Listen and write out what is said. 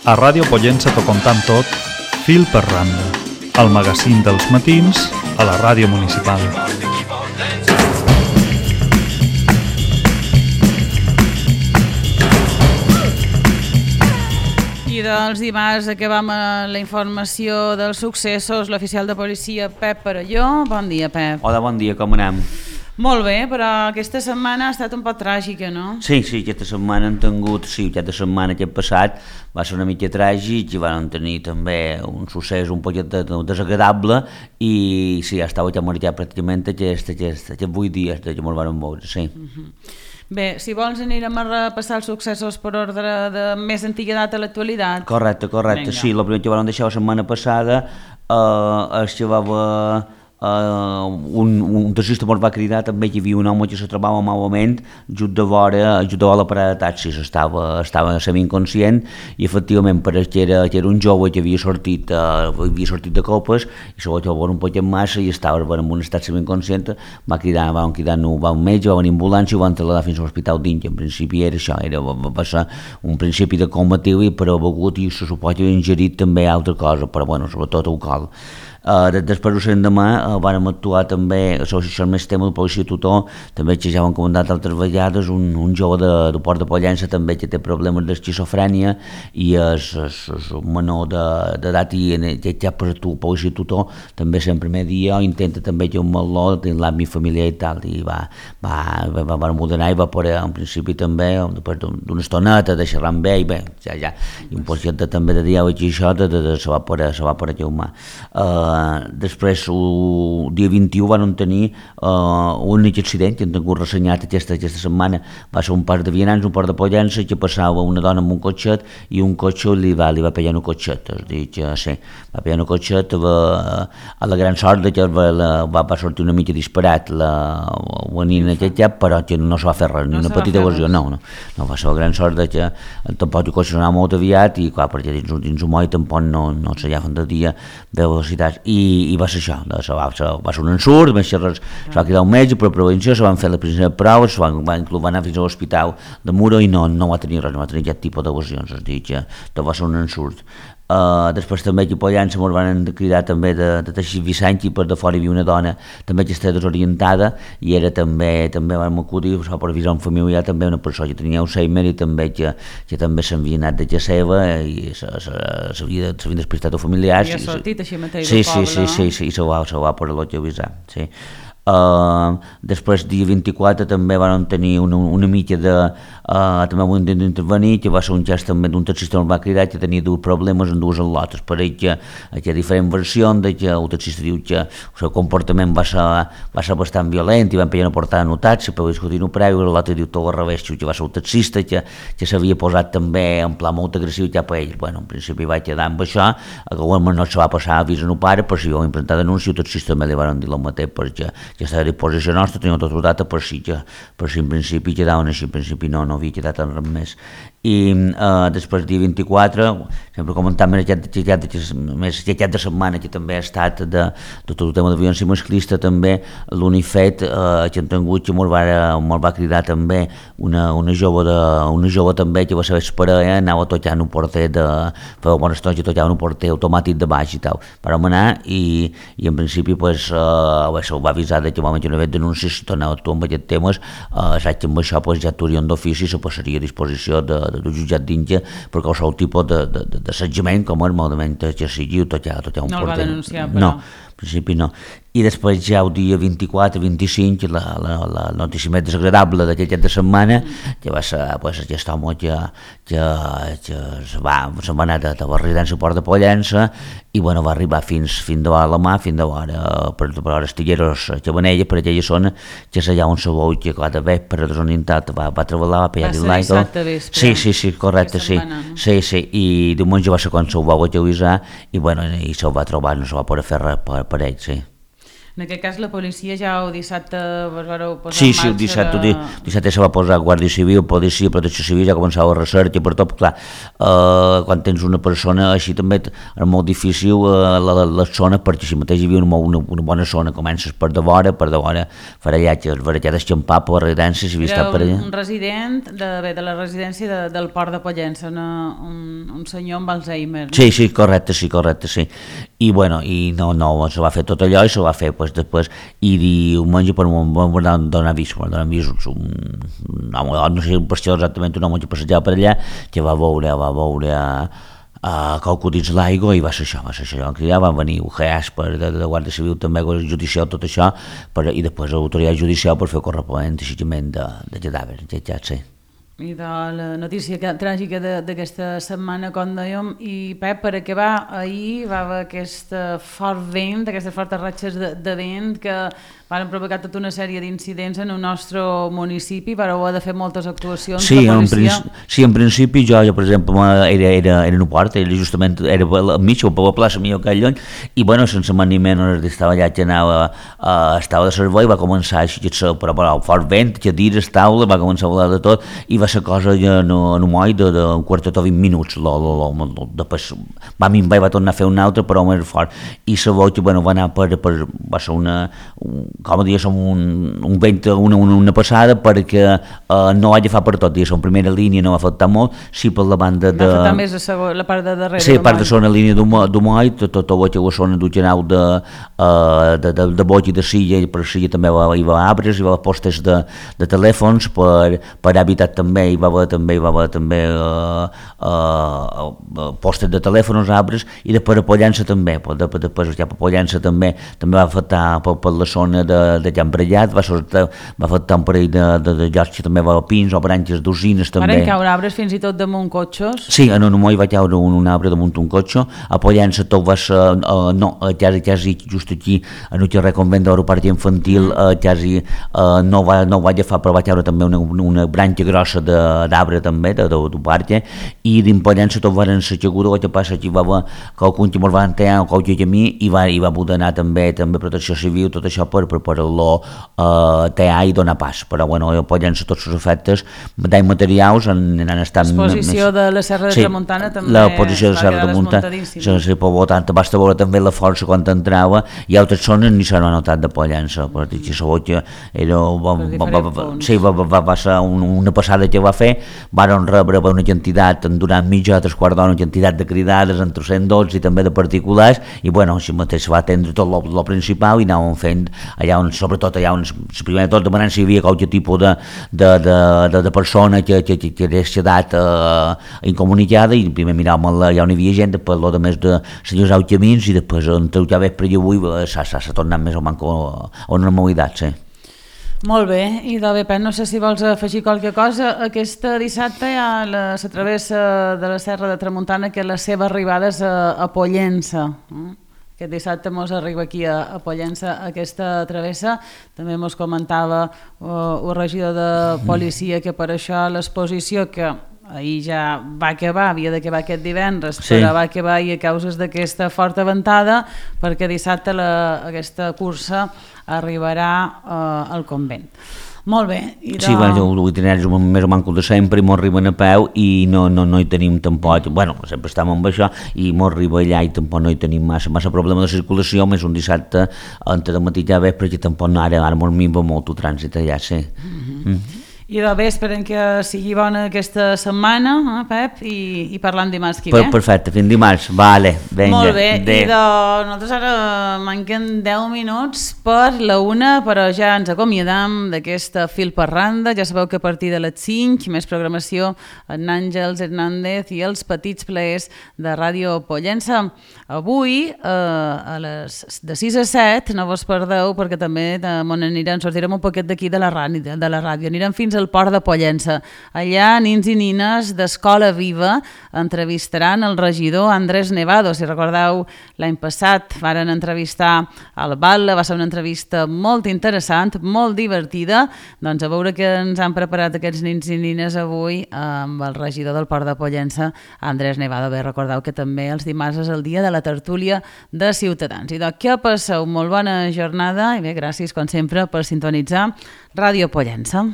A Ràdio Pollença t'ho contam tot, fil per randa. El magazín dels matins a la ràdio municipal. I dels dimarts acabam la informació dels successos. L'oficial de policia Pep Perelló. Bon dia, Pep. Hola, bon dia, com anem? Molt bé, però aquesta setmana ha estat un poc tràgica, no? Sí, aquesta setmana hem tingut, aquesta setmana que hem passat va ser una mica tràgic i vam tenir també un succés un poc desagradable i sí, estava ja marxat pràcticament aquests 8 dies que ens van veure, sí. Bé, si vols anirem a repassar els successos per ordre de més antiguitat a l'actualitat. Correcte, Vinga. sí, el primer que vam deixar la setmana passada és que va haver un taxista ens va cridar també que hi havia un home que se trobava malament just de vora la parada de taxis, estava semi-inconscient i efectivament que era un jove que havia sortit de copes i se va trobar un poc en massa i estava en un estat semi-inconscient, van cridar un metge, va venir ambulància i ho van trasladar fins a l'hospital d'Inca. En principi era això, va ser un principi de comatiu i però begut i se suposa que havia ingerit també altra cosa, però bueno, sobretot alcohol. Després l'endemà vam actuar també, això és més tema de policia tutor, també que ja ho hem comentat altres vegades, un jove de Port de Pollença també que té problemes d'esquizofrènia i és un menor d'edat i ja per tu policia tutor també sempre primer dia intenta també que un meló de l'àmbit familiar i tal i va modernar i va poder en principi també després d'una estoneta de xerrar amb ell i un poquet també de diàleg i això se va poder llaumar. Després el dia 21 van tenir un únic accident que hem tingut ressenyat aquesta setmana, va ser un parc de vianants, un parc de Pollença que passava una dona amb un cotxet i un cotxe li va pegar un cotxet, és a dir que sí, va pegar un cotxet a la gran sort que va sortir una mica disparat la nina però que no se va fer res, ni una petita lesió, no va ser la gran sort que tampoc el cotxe anava molt aviat i clar, perquè dins un moll tampoc no se llaven de dia de velocitats i va ser això, va ser un ensurt, se va cridar un metge per prevenció, se van fer les primeres proves, van anar fins a l'hospital de Muro i no va tenir res, no va tenir aquest tipus de lesions, és a dir que va ser un ensurt. Després també aquí a Pollença ens van cridar també de Teixit Vicent i per de fora hi havia una dona també que estava desorientada i era també vam acudir per avisar un familiar també una persona que tenia Alzheimer i també que també s'havia anat de casa seva i s'havien despistat els familiars i ha sortit així mateix del poble, sí, i se va poder avisar, sí. Després dia 24 també van tenir una mica també van intervenir que va ser un gest també d'un taxista que va cridar que tenia dos problemes en dues al·lotes, per ell que hi ha diferents versions de que el taxista diu que el seu comportament va ser bastant violent i van pegar una portada en un taxi per discutir un preu i l'altre diu tot al revés, que va ser el taxista que s'havia posat també en pla molt agressiu cap a ell. En principi va quedar amb això, a alguna no se va passar a avís a un pare per si ho va implantar denúncia, el taxista també li van dir el mateix perquè ja estava a disposició nostra, teníem tot data per si en principi quedaven així, en principi no havia quedat en res més. I després dia 24, sempre comentant aquest de setmana que també ha estat de tot el tema de violència masclista, també l'UNIFED que hem tingut que ens va cridar també una jove també que va saber esperar, anava tocant un porter feia bona estona que tocava un porter automàtic de baix i tal, vam anar i en principi se'l va avisar que no hi havia denúncies, si tornava a actuar amb aquests temes, saps que amb això ja actuarien d'ofici i se passaria a disposició del jutjat d'Inca per qualsevol tipus d'assetjament, com és malament que sigui, o tocar un porter. No el va denunciar, però. No, en principi no. I després ja el dia 24-25, la notícia més desagradable d'aquest de setmana, que va ser aquest home que se'n va anar de la residència Port de Pollença i va arribar fins de la mà, fins de l'hora per Estigueros Xavanella, per aquella zona que és allà on se veu que cada vespre desorientat va treballar, va pegar-li l'aigua. Va ser dissabte vespre. Sí, correcte, sí. I diumenge va ser quan se'l va avisar i se'l va trobar, no se va poder fer res per ell, sí. En aquest cas la policia ja el dissabte vareu posar Sí, en sí, el marxa dissabte se va posar Guàrdia Civil, Policia, Protecció Civil, ja començava la recerca, per tot, clar, quan tens una persona així també és molt difícil les zones, perquè si mateix hi havia una bona zona, comences per de vora farallatges, varallades xampar per la residència, si havia estat per allà. Un resident de la residència del Port de Pollença, un senyor amb Alzheimer. Sí, correcte, sí. I bueno, no, se va fer tot allò i se va fer després, i diumenge per un donar avís, no sé per això exactament un home que passejava per allà, que va veure qualcú dins l'aigua i va ser això, que ja van venir UGAs de Guàrdia Civil també, judicial, tot això, i després l'autoritat judicial per fer el corresponent aixecament de cadàvers, sí. I de la notícia tràgica d'aquesta setmana, com dèiem, i Pep, per acabar, ahir va haver aquest fort vent, aquestes fortes ratxes de vent que van provocar tota una sèrie d'incidents en el nostre municipi, vareu haver de fer moltes actuacions de policia. Sí, en principi jo per exemple, era en un port, era al mig, a la plaça millor que allò, i bueno, sense mà ni menys estava allà que estava de servei, va començar així, però fort vent, cadires, taula, va començar a volar de tot, i va ser cosa en un moll d'un quartet o 20 minuts, després va tornar a fer un altre, però més fort, i la boca, bueno, va anar va ser com a dir, un vent, una passada, perquè no va agafar per tot, en primera línia no va afectar molt, sí per la banda de... Va afectar més la part de darrere. Sí, part de zona línia d'Humoll, tota la zona d'Ugenau de boig i de Silla, i per Silla també hi va arbres, hi va postes de telèfons, per habitat també hi va haver també postes de telèfons, arbres, i després a Pollença també, després ja per Pollença també va afectar per la zona de Can Brellat, va afectar un parell de llocs que també va a pins o branques d'usines també. Van caure arbres fins i tot damunt cotxes? Sí, en un moll va caure un arbre damunt un cotxe, a Pollença tot va ser, quasi just aquí, en el carrer Convent d'Aeropart Infantil, quasi no va agafar, però va caure també una branca grossa d'arbre també, d'un parc, i dins Pollença tot van ser caiguda, el que passa que hi va haver qualcun que mos va enterar o qualque camí i va poder anar també Protecció Civil, tot això per preparar-lo tear i donar pas, però bueno, a Pollença tots els efectes danys materials han estat... L'exposició de la Serra de Tramuntana també l'exposició de la Serra de Tramuntana, sí, per tant, basta veure també la força quan entrava, i altres zones ni s'han notat de Pollença, perquè la boca va ser una passada que va fer, van rebre una quantitat, durant mitja o 3/4 d'hora, una quantitat de cridades entre 112 i també de particulars, i bueno, així mateix va atendre tot lo principal i anàvem fent allà on, sobretot allà on, primer de tot demanant si hi havia qualque tipus de persona que hagués quedat incomunicada, i primer miràvem allà on hi havia gent, després el més de senyors camins, i després entre ja vespre i avui s'ha tornat més o manco a una normalitat, sí. Molt bé, i de bé, Pep, no sé si vols afegir qualque cosa. Aquesta dissabte hi ha la travessa de la Serra de Tramuntana, que la seva arribada és a Pollença. Aquest dissabte mos arriba aquí a Pollença aquesta travessa. També mos comentava el regidor de policia que per això l'exposició, que ahir ja va acabar, havia d'acabar aquest divendres, sí, però va acabar i a causes d'aquesta forta ventada, perquè dissabte aquesta cursa arribarà al convent. Molt bé. Sí, l'itinerari és més o manco de sempre, i m'ho arriben a peu i no hi tenim tampoc, bueno, sempre estem amb això i m'ho arriba allà i tampoc no hi tenim massa problema de circulació, més un dissabte entre el matí i a vespre, que tampoc ara m'ho minva molt el trànsit allà, sí. I de bé, esperem que sigui bona aquesta setmana, Pep, i parlant dimarts que ve. Perfecte, fins dimarts, vale, vinga. Molt bé, i nosaltres ara manquen 10 minuts per la 1, però ja ens acomiadam d'aquesta Fil per Randa. Ja sabeu que a partir de les 5, més programació en Àngels Hernández i els petits plaers de Ràdio Pollença. Avui, de 6 a 7, no vos perdeu, perquè també sortirem un poquet d'aquí de la ràdio. Anirem fins a del Port de Pollença. Allà, nins i nines d'Escola Viva entrevistaran el regidor Andrés Nevado. Si recordeu, l'any passat varen entrevistar al Batlle, va ser una entrevista molt interessant, molt divertida. Doncs a veure què ens han preparat aquests nins i nines avui amb el regidor del Port de Pollença, Andrés Nevado. Bé, recordeu que també els dimarts és el dia de la tertúlia de Ciutadans. I doncs que passeu molt bona jornada i bé, gràcies com sempre per sintonitzar Ràdio Pollença.